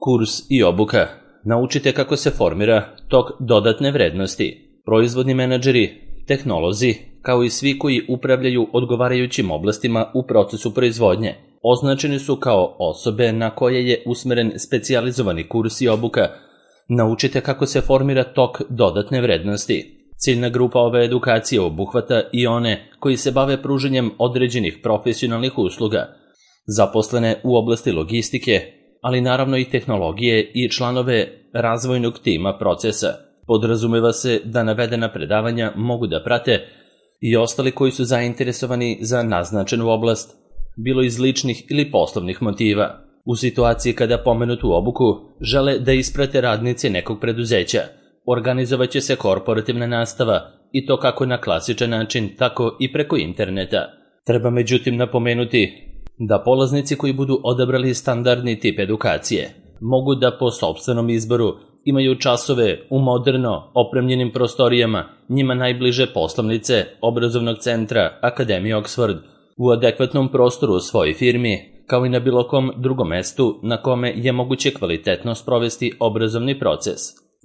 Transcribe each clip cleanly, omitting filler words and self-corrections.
Kurs i obuka. Naučite kako se formira tok dodatne vrednosti. Proizvodni menadžeri, tehnolozi, kao i svi koji upravljaju odgovarajućim oblastima u procesu proizvodnje, označeni su kao osobe na koje je usmeren specijalizovani kurs i obuka. Naučite kako se formira tok dodatne vrednosti. Ciljna grupa ove edukacije obuhvata i one koji se bave pružanjem određenih profesionalnih usluga, zaposlene u oblasti logistike, ali naravno i tehnologije i članove razvojnog tima procesa. Podrazumeva se da navedena predavanja mogu da prate i ostali koji su zainteresovani za naznačenu oblast, bilo iz ličnih ili poslovnih motiva. U situaciji kada pomenutu obuku žele da isprate radnici nekog preduzeća, organizovaće se korporativna nastava i to kako na klasičan način, tako i preko interneta. Treba međutim napomenuti da polaznici koji budu odabrali standardni tip edukacije mogu da po sopstvenom izboru imaju časove u moderno opremljenim prostorijama njima najbliže poslovnice obrazovnog centra Akademije Oxford, u adekvatnom prostoru u svojoj firmi, kao i na bilo kom drugom mestu na kome je moguće kvalitetno sprovesti obrazovni proces.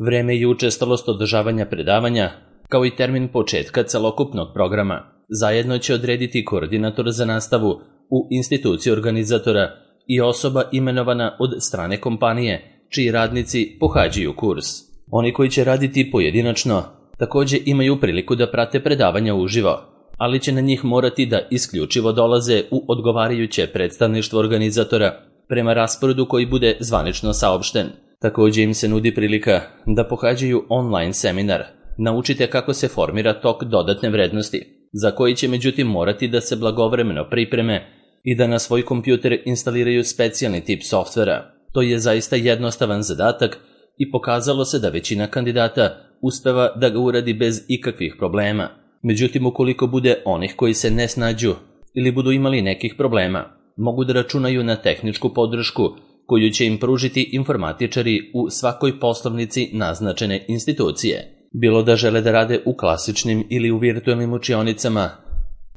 Vreme i učestalost održavanja predavanja, kao i termin početka celokupnog programa, zajedno će odrediti koordinator za nastavu u instituciji organizatora i osoba imenovana od strane kompanije, čiji radnici pohađaju kurs. Oni koji će raditi pojedinačno također imaju priliku da prate predavanja uživo, ali će na njih morati da isključivo dolaze u odgovarajuće predstavništvo organizatora prema rasporedu koji bude zvanično saopšten. Također im se nudi prilika da pohađaju online seminar. Naučite kako se formira tok dodatne vrednosti, za koji će međutim morati da se blagovremeno pripreme i da na svoj kompjuter instaliraju specijalni tip softvera. To je zaista jednostavan zadatak i pokazalo se da većina kandidata uspeva da ga uradi bez ikakvih problema. Međutim, ukoliko bude onih koji se ne snađu ili budu imali nekih problema, mogu da računaju na tehničku podršku koju će im pružiti informatičari u svakoj poslovnici naznačene institucije. Bilo da žele da rade u klasičnim ili u virtualnim učionicama,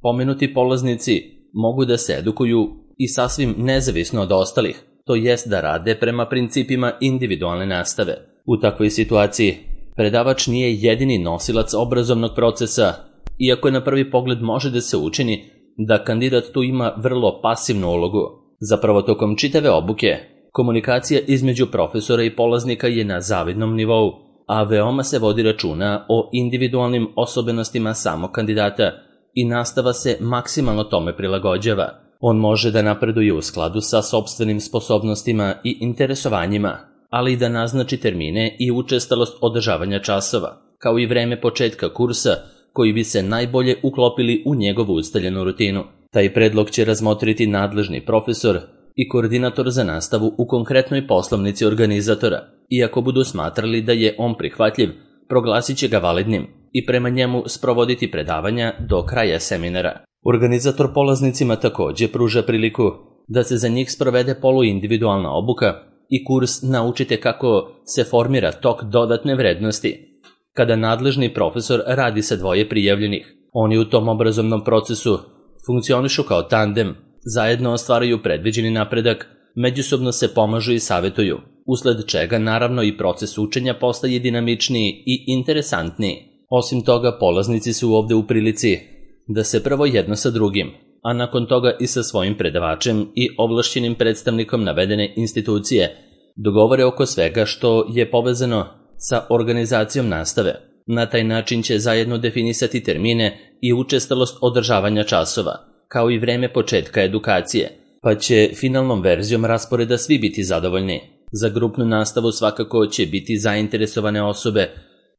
pomenuti polaznici mogu da se edukuju i sasvim nezavisno od ostalih, to jest da rade prema principima individualne nastave. U takvoj situaciji predavač nije jedini nosilac obrazovnog procesa, iako na prvi pogled može da se učini da kandidat tu ima vrlo pasivnu ulogu. Zapravo tokom čitave obuke, komunikacija između profesora i polaznika je na zavidnom nivou, a veoma se vodi računa o individualnim osobenostima samog kandidata i nastava se maksimalno tome prilagođava. On može da napreduje u skladu sa sopstvenim sposobnostima i interesovanjima, ali i da naznači termine i učestalost održavanja časova, kao i vreme početka kursa koji bi se najbolje uklopili u njegovu ustaljenu rutinu. Taj predlog će razmotriti nadležni profesor i koordinator za nastavu u konkretnoj poslovnici organizatora. Iako budu smatrali da je on prihvatljiv, proglasit će ga validnim i prema njemu sprovoditi predavanja do kraja seminara. Organizator polaznicima također pruža priliku da se za njih sprovede poluindividualna obuka i kurs Naučite kako se formira tok dodatne vrednosti. Kada nadležni profesor radi sa dvoje prijavljenih, oni u tom obrazovnom procesu funkcionišu kao tandem, zajedno ostvaraju predviđeni napredak, međusobno se pomažu i savjetuju, usled čega naravno i proces učenja postaje dinamičniji i interesantniji. Osim toga, polaznici su ovde u prilici da se prvo jedno sa drugim, a nakon toga i sa svojim predavačem i ovlašćenim predstavnikom navedene institucije dogovore oko svega što je povezano sa organizacijom nastave. Na taj način će zajedno definisati termine i učestalost održavanja časova, kao i vreme početka edukacije, pa će finalnom verzijom rasporeda svi biti zadovoljni. Za grupnu nastavu svakako će biti zainteresovane osobe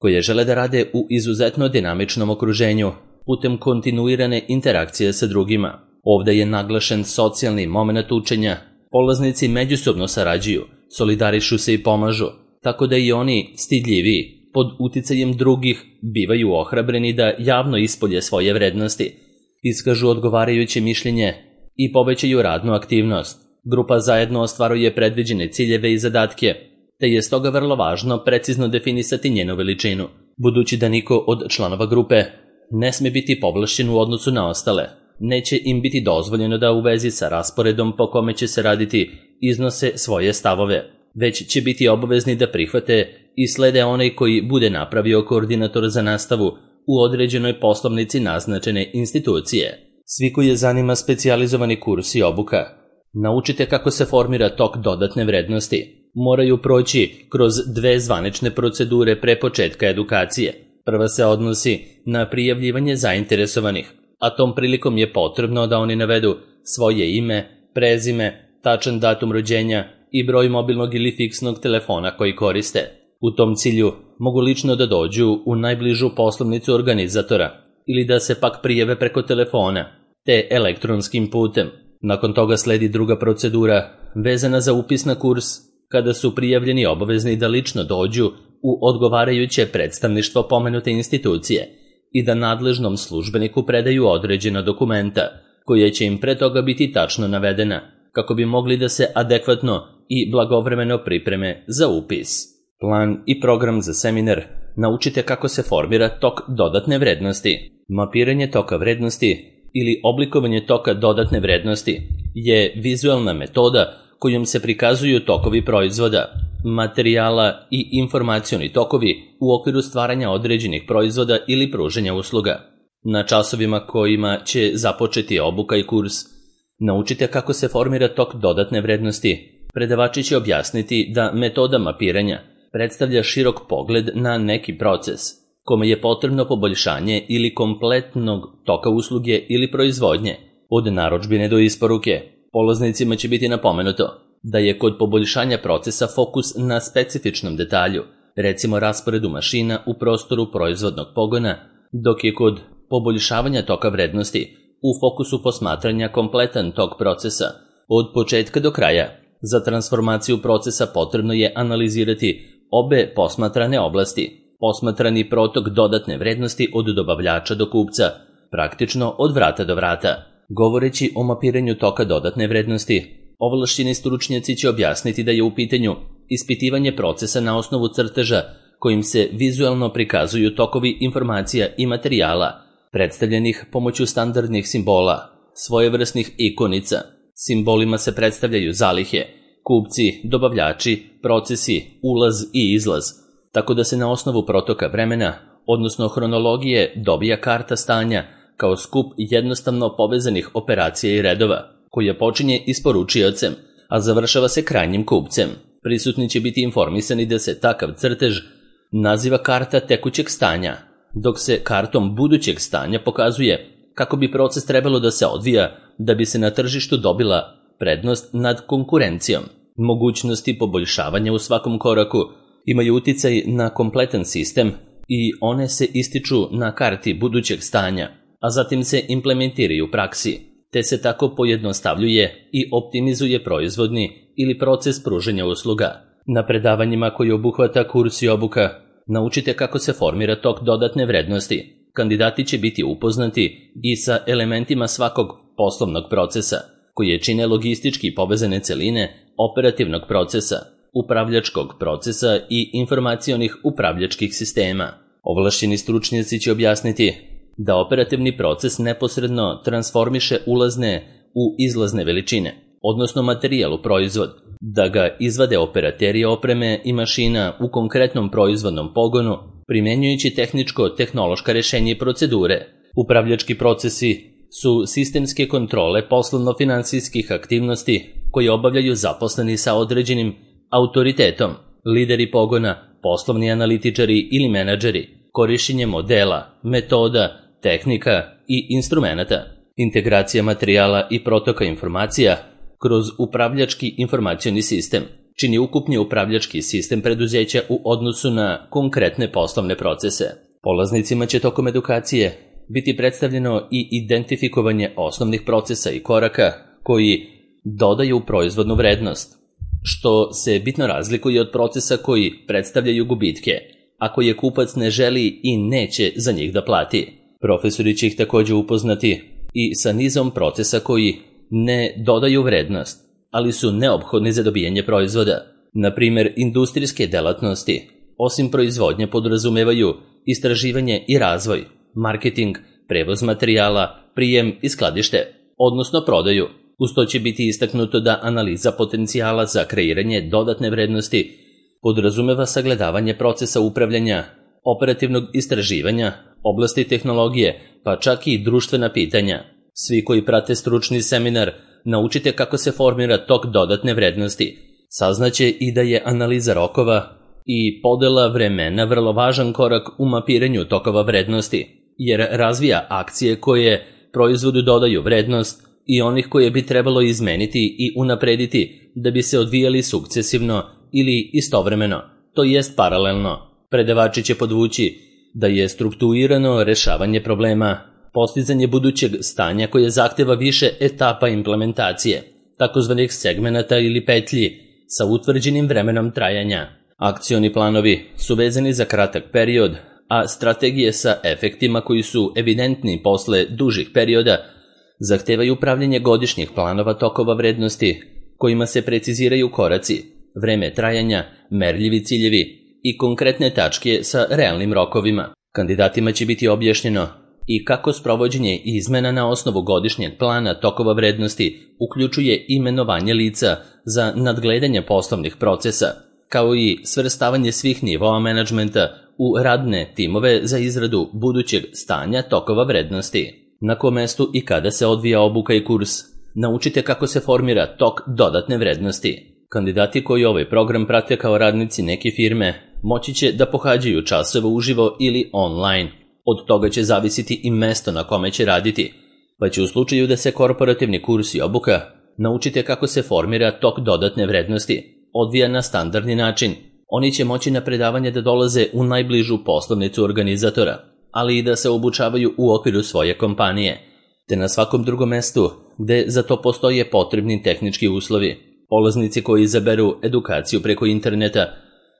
koje žele da rade u izuzetno dinamičnom okruženju, putem kontinuirane interakcije sa drugima. Ovde je naglašen socijalni moment učenja. Polaznici međusobno sarađuju, solidarišu se i pomažu, tako da i oni stidljiviji pod uticajem drugih bivaju ohrabreni da javno ispolje svoje vrednosti, iskažu odgovarajuće mišljenje i povećaju radnu aktivnost. Grupa zajedno ostvaruje predviđene ciljeve i zadatke, te je stoga vrlo važno precizno definisati njenu veličinu, budući da niko od članova grupe ne sme biti povlašćen u odnosu na ostale. Neće im biti dozvoljeno da u vezi sa rasporedom po kome će se raditi iznose svoje stavove. već će biti obavezni da prihvate i slede onaj koji bude napravio koordinator za nastavu u određenoj poslovnici naznačene institucije. Svi koji je zanima specijalizovani kurs i obuka, naučite kako se formira tok dodatne vrednosti, moraju proći kroz 2 zvanične procedure pre početka edukacije. Prva se odnosi na prijavljivanje zainteresovanih, a tom prilikom je potrebno da oni navedu svoje ime, prezime, tačan datum rođenja i broj mobilnog ili fiksnog telefona koji koriste. U tom cilju mogu lično da dođu u najbližu poslovnicu organizatora ili da se pak prijave preko telefona, te elektronskim putem. Nakon toga sledi druga procedura vezana za upis na kurs, kada su prijavljeni obavezni da lično dođu u odgovarajuće predstavništvo pomenute institucije i da nadležnom službeniku predaju određena dokumenta, koje će im pre toga biti tačno navedena, kako bi mogli da se adekvatno i blagovremeno pripreme za upis. Plan i program za seminar naučite kako se formira tok dodatne vrednosti. Mapiranje toka vrednosti ili oblikovanje toka dodatne vrednosti je vizualna metoda kojom se prikazuju tokovi proizvoda, materijala i informacioni tokovi u okviru stvaranja određenih proizvoda ili pružanja usluga. Na časovima kojima će započeti obuka i kurs, naučite kako se formira tok dodatne vrednosti. Predavači će objasniti da metoda mapiranja predstavlja širok pogled na neki proces, kome je potrebno poboljšanje ili kompletnog toka usluge ili proizvodnje, od narudžbine do isporuke. Polaznicima će biti napomenuto da je kod poboljšanja procesa fokus na specifičnom detalju, recimo rasporedu mašina u prostoru proizvodnog pogona, dok je kod poboljšavanja toka vrednosti u fokusu posmatranja kompletan tok procesa, od početka do kraja. Za transformaciju procesa potrebno je analizirati obe posmatrane oblasti, posmatrani protok dodatne vrednosti od dobavljača do kupca, praktično od vrata do vrata. Govoreći o mapiranju toka dodatne vrednosti, ovlašćeni stručnjaci će objasniti da je u pitanju ispitivanje procesa na osnovu crteža kojim se vizualno prikazuju tokovi informacija i materijala, predstavljenih pomoću standardnih simbola, svojevrsnih ikonica. Simbolima se predstavljaju zalihe, kupci, dobavljači, procesi, ulaz i izlaz, tako da se na osnovu protoka vremena, odnosno hronologije, dobija karta stanja kao skup jednostavno povezanih operacija i redova, koja počinje isporučiocem, a završava se krajnjim kupcem. Prisutni će biti informisani da se takav crtež naziva karta tekućeg stanja, dok se kartom budućeg stanja pokazuje kako bi proces trebalo da se odvija da bi se na tržištu dobila prednost nad konkurencijom. Mogućnosti poboljšavanja u svakom koraku imaju uticaj na kompletan sistem i one se ističu na karti budućeg stanja, a zatim se implementiraju u praksi, te se tako pojednostavljuje i optimizuje proizvodni ili proces pružanja usluga. Na predavanjima koji obuhvata kurs i obuka, naučite kako se formira tok dodatne vrednosti. Kandidati će biti upoznati i sa elementima svakog poslovnog procesa, koje čine logistički povezane celine operativnog procesa, upravljačkog procesa i informacionih upravljačkih sistema. Ovlašćeni stručnjaci će objasniti da operativni proces neposredno transformiše ulazne u izlazne veličine, odnosno materijal u proizvod, da ga izvade operateri opreme i mašina u konkretnom proizvodnom pogonu, primjenjujući tehničko-tehnološka rešenja i procedure. Upravljački procesi su sistemske kontrole poslovno-finansijskih aktivnosti koje obavljaju zaposleni sa određenim autoritetom, lideri pogona, poslovni analitičari ili menadžeri, korišćenje modela, metoda, tehnika i instrumenata, integracija materijala i protoka informacija kroz upravljački informacioni sistem čini ukupni upravljački sistem preduzeća u odnosu na konkretne poslovne procese. Polaznicima će tokom edukacije biti predstavljeno i identifikovanje osnovnih procesa i koraka koji dodaju proizvodnu vrednost, što se bitno razlikuje od procesa koji predstavljaju gubitke, a koje kupac ne želi i neće za njih da plati. Profesori će ih također upoznati i sa nizom procesa koji ne dodaju vrednost, ali su neophodni za dobijanje proizvoda. Na primjer, industrijske delatnosti, osim proizvodnje, podrazumevaju istraživanje i razvoj, marketing, prevoz materijala, prijem i skladište, odnosno prodaju. Uz to će biti istaknuto da analiza potencijala za kreiranje dodatne vrednosti podrazumeva sagledavanje procesa upravljanja, operativnog istraživanja, oblasti tehnologije, pa čak i društvena pitanja. Svi koji prate stručni seminar naučite kako se formira tok dodatne vrednosti. Saznaće i da je analiza rokova i podela vremena vrlo važan korak u mapiranju tokova vrednosti, jer razvija akcije koje proizvodu dodaju vrednost i onih koje bi trebalo izmeniti i unaprediti da bi se odvijali sukcesivno ili istovremeno, to jest paralelno. Predavači će podvući da je strukturirano rešavanje problema postizanje budućeg stanja koje zahteva više etapa implementacije, takozvanih segmenata ili petlji sa utvrđenim vremenom trajanja. Akcioni planovi su vezani za kratak period, a strategije sa efektima koji su evidentni posle dužih perioda zahtevaju upravljanje godišnjih planova tokova vrednosti kojima se preciziraju koraci, vreme trajanja, merljivi ciljevi i konkretne tačke sa realnim rokovima. Kandidatima će biti objašnjeno i kako sprovođenje izmena na osnovu godišnjeg plana tokova vrednosti uključuje imenovanje lica za nadgledanje poslovnih procesa, kao i svrstavanje svih nivoa menadžmenta u radne timove za izradu budućeg stanja tokova vrednosti. Na kom mestu i kada se odvija obuka i kurs, naučite kako se formira tok dodatne vrednosti. Kandidati koji ovaj program prate kao radnici neke firme moći će da pohađaju časove uživo ili online. Od toga će zavisiti i mesto na kome će raditi, pa će u slučaju da se korporativni kurs i obuka naučite kako se formira tok dodatne vrednosti odvija na standardni način. Oni će moći na predavanje da dolaze u najbližu poslovnicu organizatora, ali i da se obučavaju u okviru svoje kompanije, te na svakom drugom mestu gde za to postoje potrebni tehnički uslovi. Polaznici koji izaberu edukaciju preko interneta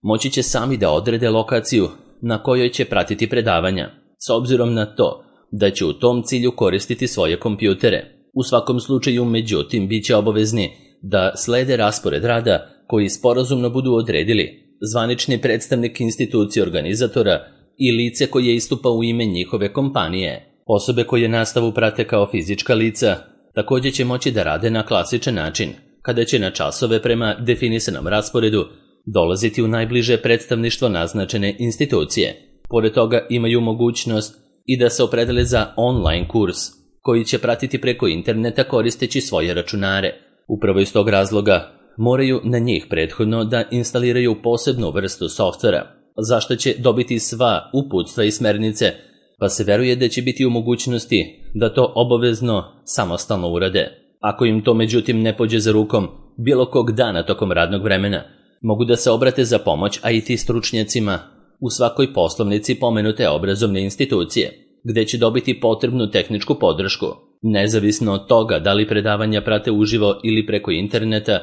moći će sami da odrede lokaciju na kojoj će pratiti predavanja, s obzirom na to da će u tom cilju koristiti svoje kompjutere. U svakom slučaju, međutim, bit će obavezni da slede raspored rada koji sporazumno budu odredili zvanični predstavnik institucije organizatora i lice koje istupa u ime njihove kompanije. Osobe koje nastavu prate kao fizička lica također će moći da rade na klasičan način, kada će na časove prema definisanom rasporedu dolaziti u najbliže predstavništvo naznačene institucije. Pored toga imaju mogućnost i da se opredele za online kurs, koji će pratiti preko interneta koristeći svoje računare. Upravo iz tog razloga moraju na njih prethodno da instaliraju posebnu vrstu softvera, za što će dobiti sva uputstva i smernice, pa se veruje da će biti u mogućnosti da to obavezno samostalno urade. Ako im to međutim ne pođe za rukom bilo kog dana tokom radnog vremena, mogu da se obrate za pomoć IT stručnjacima u svakoj poslovnici pomenute obrazovne institucije, gde će dobiti potrebnu tehničku podršku. Nezavisno od toga da li predavanja prate uživo ili preko interneta,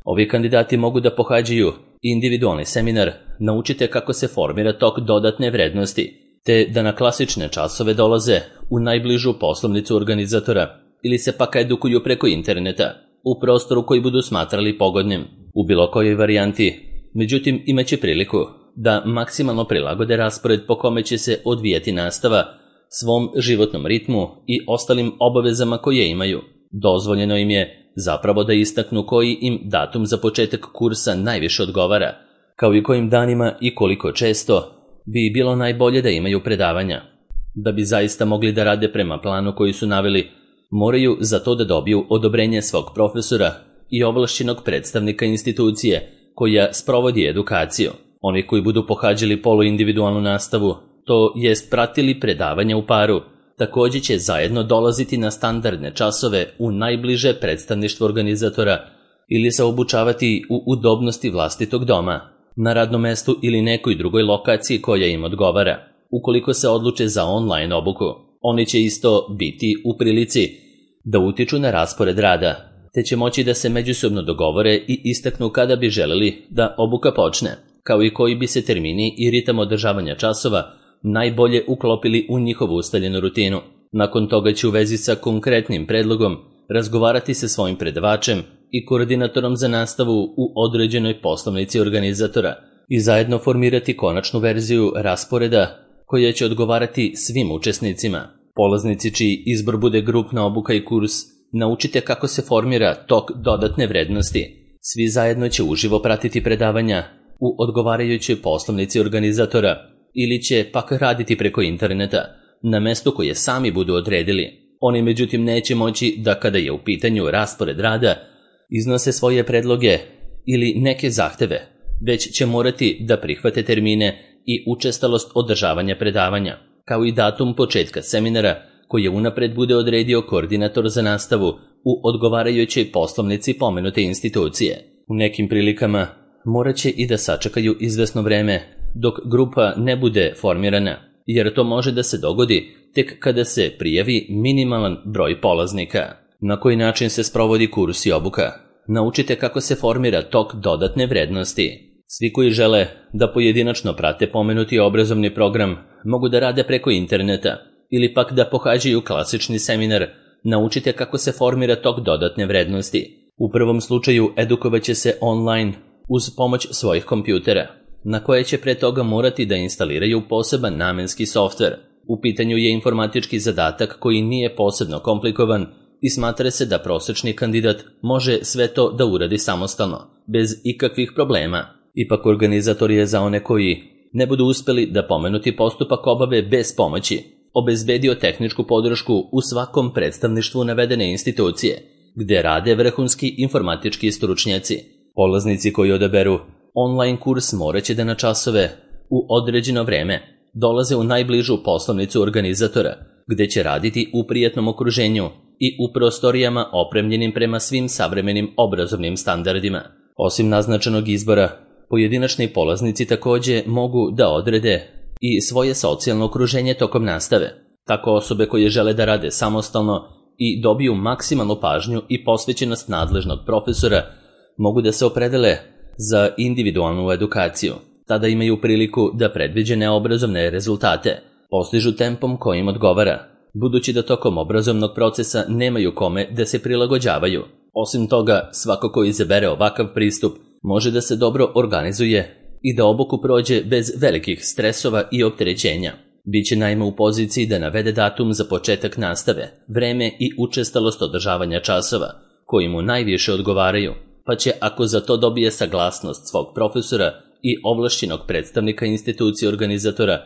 ovi kandidati mogu da pohađaju individualni seminar Naučite kako se formira tok dodatne vrednosti, te da na klasične časove dolaze u najbližu poslovnicu organizatora ili se pak edukuju preko interneta u prostoru koji budu smatrali pogodnim. U bilo kojoj varijanti, međutim, imaće priliku da maksimalno prilagode raspored po kome će se odvijati nastava svom životnom ritmu i ostalim obavezama koje imaju. Dozvoljeno im je zapravo da istaknu koji im datum za početak kursa najviše odgovara, kao i kojim danima i koliko često bi bilo najbolje da imaju predavanja. Da bi zaista mogli da rade prema planu koji su naveli, moraju za to da dobiju odobrenje svog profesora i ovlašćenog predstavnika institucije koja sprovodi edukaciju. Oni koji budu pohađali poluindividualnu nastavu, to jest pratili predavanja u paru, također će zajedno dolaziti na standardne časove u najbliže predstavništvo organizatora ili se obučavati u udobnosti vlastitog doma, na radnom mestu ili nekoj drugoj lokaciji koja im odgovara. Ukoliko se odluče za online obuku, oni će isto biti u prilici da utiču na raspored rada, te će moći da se međusobno dogovore i istaknu kada bi želeli da obuka počne, kao i koji bi se termini i ritam održavanja časova najbolje uklopili u njihovu ustaljenu rutinu. Nakon toga će u vezi sa konkretnim predlogom razgovarati sa svojim predavačem i koordinatorom za nastavu u određenoj poslovnici organizatora i zajedno formirati konačnu verziju rasporeda koja će odgovarati svim učesnicima. Polaznici čiji izbor bude grupna obuka i kurs naučite kako se formira tok dodatne vrednosti. Svi zajedno će uživo pratiti predavanja u odgovarajućoj poslovnici organizatora ili će pak raditi preko interneta na mestu koje sami budu odredili. Oni međutim neće moći da kada je u pitanju raspored rada iznose svoje predloge ili neke zahteve, već će morati da prihvate termine i učestalost održavanja predavanja, kao i datum početka seminara koje unapred bude odredio koordinator za nastavu u odgovarajućoj poslovnici pomenute institucije. U nekim prilikama morat će i da sačekaju izvesno vreme dok grupa ne bude formirana, jer to može da se dogodi tek kada se prijavi minimalan broj polaznika. Na koji način se sprovodi kurs i obuka? Naučite kako se formira tok dodatne vrednosti. Svi koji žele da pojedinačno prate pomenuti obrazovni program mogu da rade preko interneta ili pak da pohađaju klasični seminar. Naučite kako se formira tok dodatne vrednosti. U prvom slučaju edukovaće se online uz pomoć svojih kompjutera, na koje će pre toga morati da instaliraju poseban namenski softver. U pitanju je informatički zadatak koji nije posebno komplikovan i smatra se da prosečni kandidat može sve to da uradi samostalno, bez ikakvih problema. Ipak organizator je za one koji ne budu uspeli da pomenuti postupak obave bez pomoći obezbedio tehničku podršku u svakom predstavništvu navedene institucije, gde rade vrhunski informatički stručnjaci. Polaznici koji odaberu online kurs moraće da na časove u određeno vreme dolaze u najbližu poslovnicu organizatora, gde će raditi u prijatnom okruženju i u prostorijama opremljenim prema svim savremenim obrazovnim standardima. Osim naznačenog izbora, pojedinačni polaznici takođe mogu da odrede i svoje socijalno okruženje tokom nastave. Tako osobe koje žele da rade samostalno i dobiju maksimalnu pažnju i posvećenost nadležnog profesora mogu da se opredele za individualnu edukaciju. Tada imaju priliku da predviđene obrazovne rezultate postižu tempom kojim odgovara, budući da tokom obrazovnog procesa nemaju kome da se prilagođavaju. Osim toga, svako ko izabere ovakav pristup može da se dobro organizuje i da obuku prođe bez velikih stresova i opterećenja. Biće naime u poziciji da navede datum za početak nastave, vreme i učestalost održavanja časova, koji mu najviše odgovaraju, pa će, ako za to dobije saglasnost svog profesora i ovlašćenog predstavnika institucije organizatora,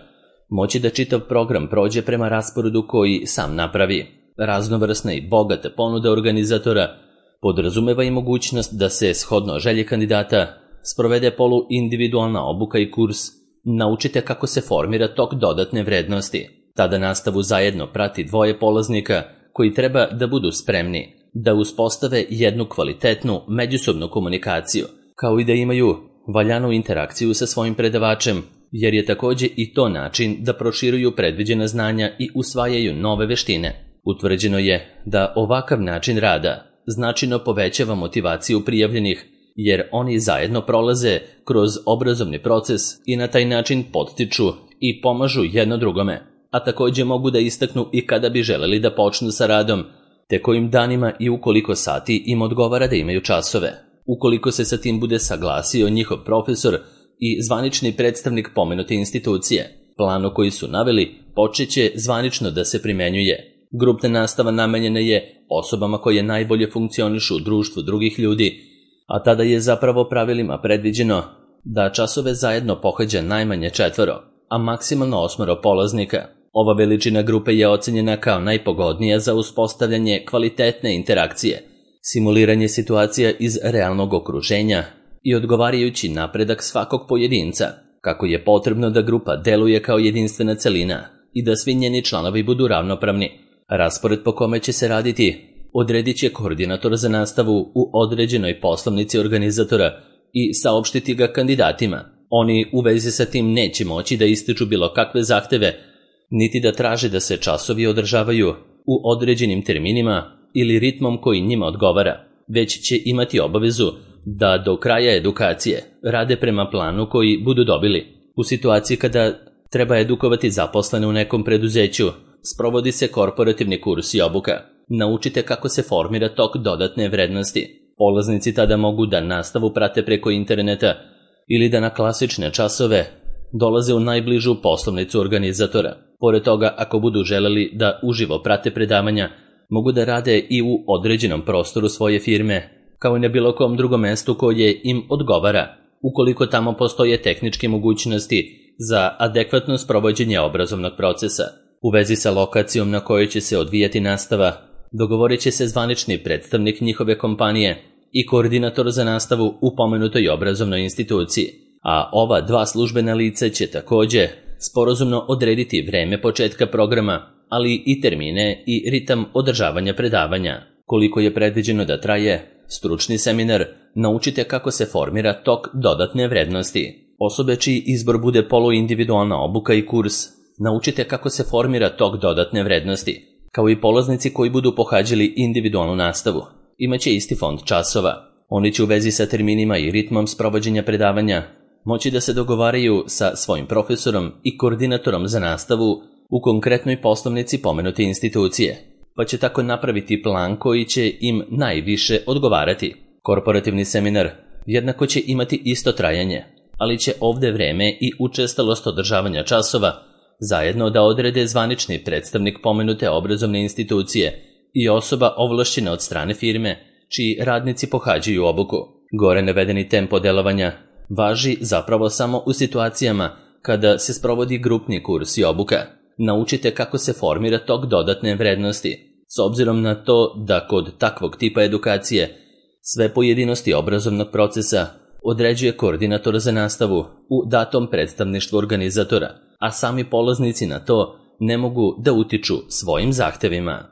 moći da čitav program prođe prema rasporedu koji sam napravi. Raznovrsna i bogata ponuda organizatora podrazumeva i mogućnost da se, shodno želji kandidata, sprovede polu-individualna obuka i kurs Naučite kako se formira tok dodatne vrednosti. Tada nastavu zajedno prati dvoje polaznika koji treba da budu spremni da uspostave jednu kvalitetnu međusobnu komunikaciju, kao i da imaju valjanu interakciju sa svojim predavačem, jer je takođe i to način da proširuju predviđena znanja i usvajaju nove veštine. Utvrđeno je da ovakav način rada značajno povećava motivaciju prijavljenih, jer oni zajedno prolaze kroz obrazovni proces i na taj način podstiču i pomažu jedno drugome, a takođe mogu da istaknu i kada bi želeli da počnu sa radom, te kojim danima i u koliko sati im odgovara da imaju časove. Ukoliko se sa tim bude saglasio njihov profesor i zvanični predstavnik pomenute institucije, plan koji su naveli počeće zvanično da se primenjuje. Grupna nastava namenjena je osobama koje najbolje funkcionišu u društvu drugih ljudi, a tada je zapravo pravilima predviđeno da časove zajedno pohađa najmanje 4, a maksimalno 8 polaznika. Ova veličina grupe je ocenjena kao najpogodnija za uspostavljanje kvalitetne interakcije, simuliranje situacija iz realnog okruženja i odgovarajući napredak svakog pojedinca, kako je potrebno da grupa deluje kao jedinstvena celina i da svi njeni članovi budu ravnopravni. Raspored po kome će se raditi odredit će koordinator za nastavu u određenoj poslovnici organizatora i saopštiti ga kandidatima. Oni u vezi sa tim neće moći da ističu bilo kakve zahteve, niti da traže da se časovi održavaju u određenim terminima ili ritmom koji njima odgovara, već će imati obavezu da do kraja edukacije rade prema planu koji budu dobili. U situaciji kada treba edukovati zaposlene u nekom preduzeću, sprovodi se korporativni kurs i obuka. Naučite kako se formira tok dodatne vrednosti. Polaznici tada mogu da nastavu prate preko interneta ili da na klasične časove dolaze u najbližu poslovnicu organizatora. Pored toga, ako budu želeli da uživo prate predavanja, mogu da rade i u određenom prostoru svoje firme, kao i na bilo kom drugom mestu koje im odgovara, ukoliko tamo postoje tehničke mogućnosti za adekvatno sprovođenje obrazovnog procesa. U vezi sa lokacijom na kojoj će se odvijati nastava, dogovorit će se zvanični predstavnik njihove kompanije i koordinator za nastavu u pomenutoj obrazovnoj instituciji, a ova dva službena lica će takođe sporazumno odrediti vreme početka programa, ali i termine i ritam održavanja predavanja. Koliko je predviđeno da traje stručni seminar, naučite kako se formira tok dodatne vrednosti. Osobe čiji izbor bude poluindividualna obuka i kurs, naučite kako se formira tok dodatne vrednosti, kao i polaznici koji budu pohađali individualnu nastavu. Imaće isti fond časova. Oni će u vezi sa terminima i ritmom sprovođenja predavanja moći da se dogovaraju sa svojim profesorom i koordinatorom za nastavu u konkretnoj poslovnici pomenute institucije, pa će tako napraviti plan koji će im najviše odgovarati. Korporativni seminar jednako će imati isto trajanje, ali će ovde vreme i učestalost održavanja časova zajedno da odrede zvanični predstavnik pomenute obrazovne institucije i osoba ovlašćena od strane firme čiji radnici pohađaju obuku. Gore navedeni tempo delovanja važi zapravo samo u situacijama kada se sprovodi grupni kurs i obuka. Naučite kako se formira tok dodatne vrednosti, s obzirom na to da kod takvog tipa edukacije sve pojedinosti obrazovnog procesa određuje koordinator za nastavu u datom predstavništvu organizatora, a sami polaznici na to ne mogu da utiču svojim zahtevima.